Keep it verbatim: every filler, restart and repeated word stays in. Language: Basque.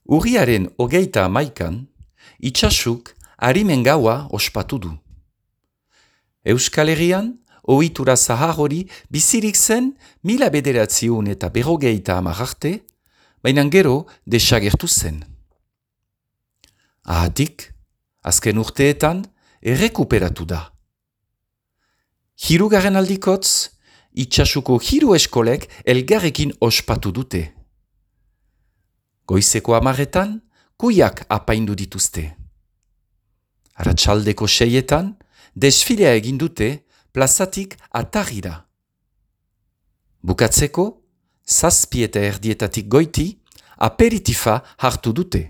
Urriaren hogeita hamaikan, Itsasuk harimen gaua ospatu du. Euskal Herrian, ohitura zahar hori bizirik zen mila bederatziun eta berrogeita hamar arte, baina gero desagertu zen. Ahatik, azken urteetan errekuperatu da. Hirugarren aldikotz, Itsasuko hiru eskolek elgarrekin ospatu dute. Goizeko amaretan, kuiak apaindu dituzte. Arratsaldeko seietan, desfilea egin dute plazatik atarira. Bukatzeko, zazpi eta erdietatik goiti, aperitifa hartu dute.